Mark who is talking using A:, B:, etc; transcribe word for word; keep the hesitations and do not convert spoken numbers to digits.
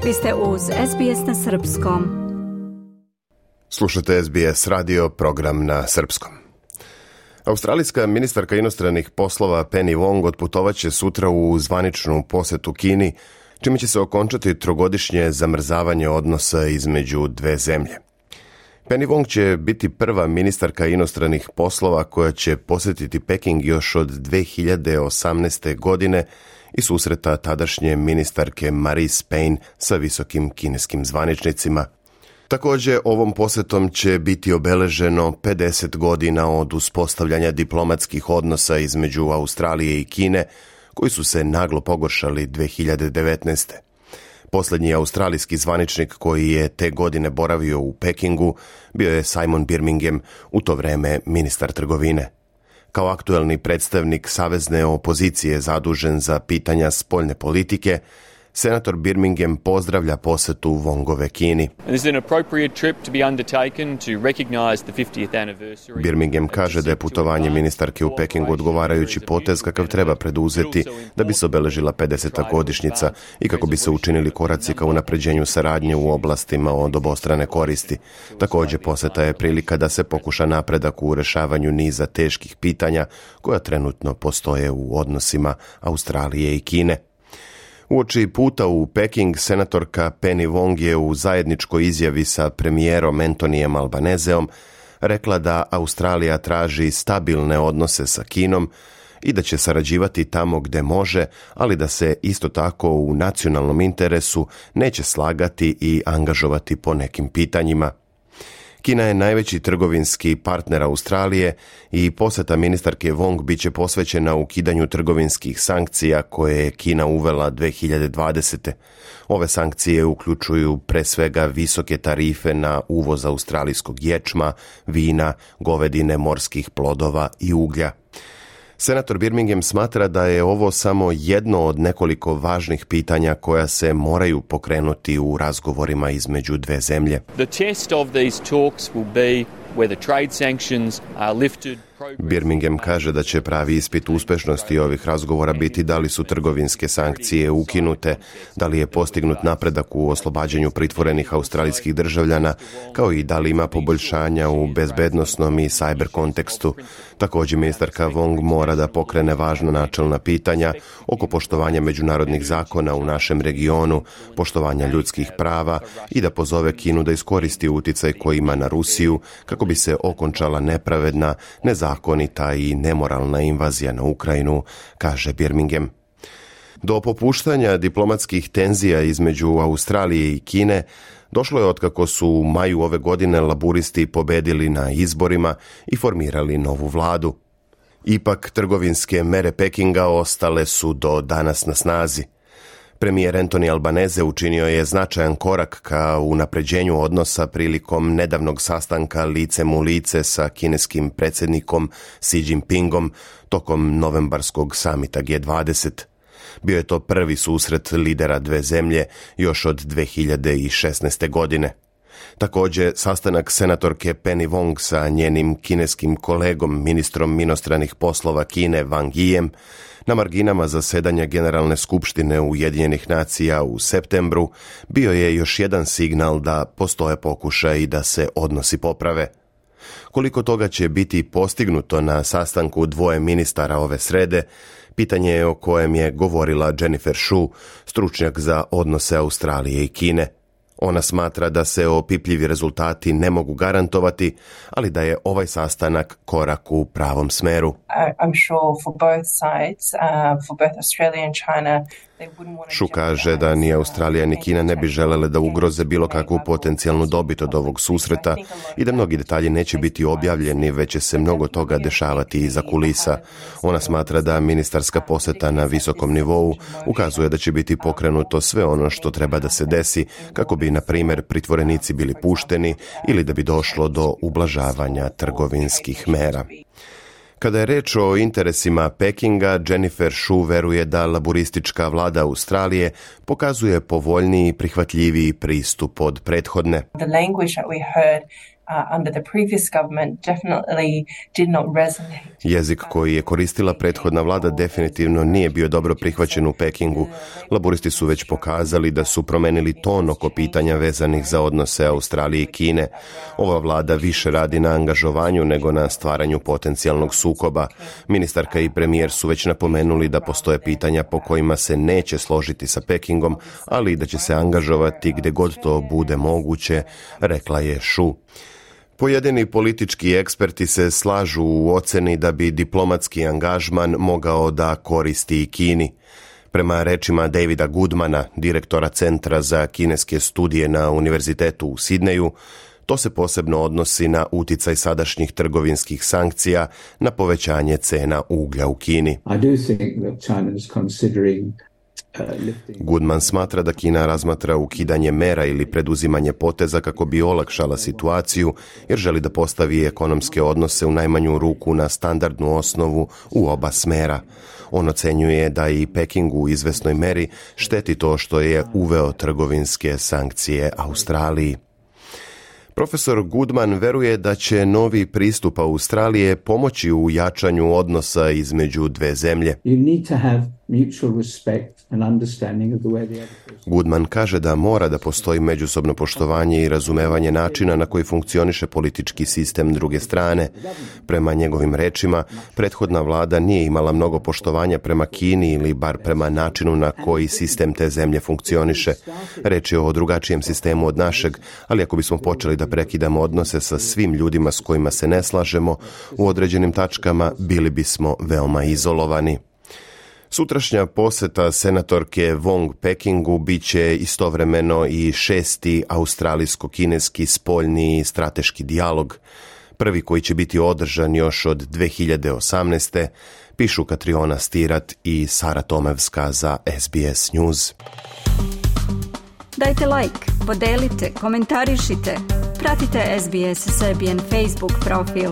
A: Vi ste uz S B S na srpskom.
B: Slušate S B S radio, program na srpskom. Australijska ministarka inostranih poslova Penny Wong otputovaće sutra u zvaničnu posetu Kini, čime će se okončati trogodišnje zamrzavanje odnosa između dve zemlje. Penny Wong će biti prva ministarka inostranih poslova koja će posjetiti Peking još od dve hiljade osamnaeste. godine i susreta tadašnje ministarke Marise Payne sa visokim kineskim zvaničnicima. Također, ovom posjetom će biti obeleženo pedeset godina od uspostavljanja diplomatskih odnosa između Australije i Kine, koji su se naglo pogoršali dve hiljade devetnaeste. Posljednji australijski zvaničnik koji je te godine boravio u Pekingu bio je Simon Birmingham, u to vrijeme ministar trgovine. Kao aktuelni predstavnik savezne opozicije zadužen za pitanja spoljne politike, senator Birmingham pozdravlja posjetu Wongove Kini. Birmingham kaže da je putovanje ministarke u Pekingu odgovarajući potez kakav treba preduzeti da bi se obeležila pedeseta godišnjica i kako bi se učinili koraci ka unapređenju saradnje u oblastima od obostrane koristi. Također posjeta je prilika da se pokuša napredak u rješavanju niza teških pitanja koja trenutno postoje u odnosima Australije i Kine. Uoči puta u Peking, senatorka Penny Wong je u zajedničkoj izjavi sa premijerom Antonijem Albaneseom rekla da Australija traži stabilne odnose sa Kinom i da će sarađivati tamo gdje može, ali da se isto tako u nacionalnom interesu neće slagati i angažovati po nekim pitanjima. Kina je najveći trgovinski partner Australije i posjeta ministarke Wong bit će posvećena ukidanju trgovinskih sankcija koje je Kina uvela dve hiljade dvadesete. Ove sankcije uključuju pre svega visoke tarife na uvoz australijskog ječma, vina, govedine, morskih plodova i uglja. Senator Birmingham smatra da je ovo samo jedno od nekoliko važnih pitanja koja se moraju pokrenuti u razgovorima između dve zemlje.
C: The test of these talks will be whether trade sanctions are lifted.
B: Birmingham kaže da će pravi ispit uspešnosti ovih razgovora biti da li su trgovinske sankcije ukinute, da li je postignut napredak u oslobađanju pritvorenih australijskih državljana, kao i da li ima poboljšanja u bezbednosnom i cyber kontekstu. Također ministarka Wong mora da pokrene važna načelna pitanja oko poštovanja međunarodnih zakona u našem regionu, poštovanja ljudskih prava i da pozove Kinu da iskoristi uticaj koji ima na Rusiju kako bi se okončala nepravedna, nezakonita i nemoralna invazija na Ukrajinu, kaže Birmingham. Do popuštanja diplomatskih tenzija između Australije i Kine došlo je otkako su u maju ove godine laburisti pobedili na izborima i formirali novu vladu. Ipak, trgovinske mere Pekinga ostale su do danas na snazi. Premijer Antoni Albanese učinio je značajan korak ka unapređenju odnosa prilikom nedavnog sastanka licem u lice sa kineskim predsjednikom Xi Jinpingom tokom novembarskog samita G dvadeset. Bio je to prvi susret lidera dve zemlje još od dve hiljade šesnaeste. godine. Također, sastanak senatorke Penny Wong sa njenim kineskim kolegom, ministrom inostranih poslova Kine Wang Yijem, na marginama zasedanja Generalne skupštine Ujedinjenih nacija u septembru bio je još jedan signal da postoje pokušaj da se odnosi poprave. Koliko toga će biti postignuto na sastanku dvoje ministara ove srede, pitanje je o kojem je govorila Jennifer Shu, stručnjak za odnose Australije i Kine. Ona smatra da se opipljivi rezultati ne mogu garantovati, ali da je ovaj sastanak korak u pravom smeru. Shu kaže da ni Australija ni Kina ne bi želele da ugroze bilo kakvu potencijalnu dobit od ovog susreta i da mnogi detalji neće biti objavljeni, već će se mnogo toga dešavati iza kulisa. Ona smatra da ministarska posjeta na visokom nivou ukazuje da će biti pokrenuto sve ono što treba da se desi kako bi, na primjer, pritvorenici bili pušteni ili da bi došlo do ublažavanja trgovinskih mera. Kada je reč o interesima Pekinga, Jennifer Shu veruje da laburistička vlada Australije pokazuje povoljniji i prihvatljiviji pristup od prethodne.
D: The language that we heard uh, under the previous government definitely did not resonate.
B: Jezik koji je koristila prethodna vlada definitivno nije bio dobro prihvaćen u Pekingu. Laburisti su već pokazali da su promenili ton oko pitanja vezanih za odnose Australije i Kine. Ova vlada više radi na angažovanju nego na stvaranju potencijalnog sukoba. Ministarka i premijer su već napomenuli da postoje pitanja po kojima se neće složiti sa Pekingom, ali i da će se angažovati gdje god to bude moguće, rekla je Šu. Pojedini politički eksperti se slažu u oceni da bi diplomatski angažman mogao da koristi i Kini. Prema rečima Davida Goodmana, direktora Centra za kineske studije na Univerzitetu u Sidneju, to se posebno odnosi na uticaj sadašnjih trgovinskih sankcija na povećanje cena uglja u Kini.
E: I do think that China is considering
B: Goodman smatra da Kina razmatra ukidanje mera ili preduzimanje poteza kako bi olakšala situaciju, jer želi da postavi ekonomske odnose u najmanju ruku na standardnu osnovu u oba smera. On ocenjuje da i Pekingu u izvesnoj meri šteti to što je uveo trgovinske sankcije Australiji. Profesor Goodman veruje da će novi pristup Australije pomoći u jačanju odnosa između dve zemlje.
E: You need to have mutual respect and understanding of the way the other person.
B: Goodman kaže da mora da postoji međusobno poštovanje i razumevanje načina na koji funkcioniše politički sistem druge strane. Prema njegovim rečima, prethodna vlada nije imala mnogo poštovanja prema Kini ili bar prema načinu na koji sistem te zemlje funkcioniše. Reč je o drugačijem sistemu od našeg, ali ako bismo počeli da prekidamo odnose sa svim ljudima s kojima se ne slažemo, u određenim tačkama bili bismo veoma izolovani. Sutrašnja poseta senatorke Wong Pekingu bit će istovremeno i šesti australijsko-kineski spoljni strateški dijalog, prvi koji će biti održan još od dve hiljade osamnaeste, pišu Katriona Stirat i Sara Tomevska za S B S News.
A: Dajte like, podelite, komentarišite, pratite S B S Serbian Facebook profil.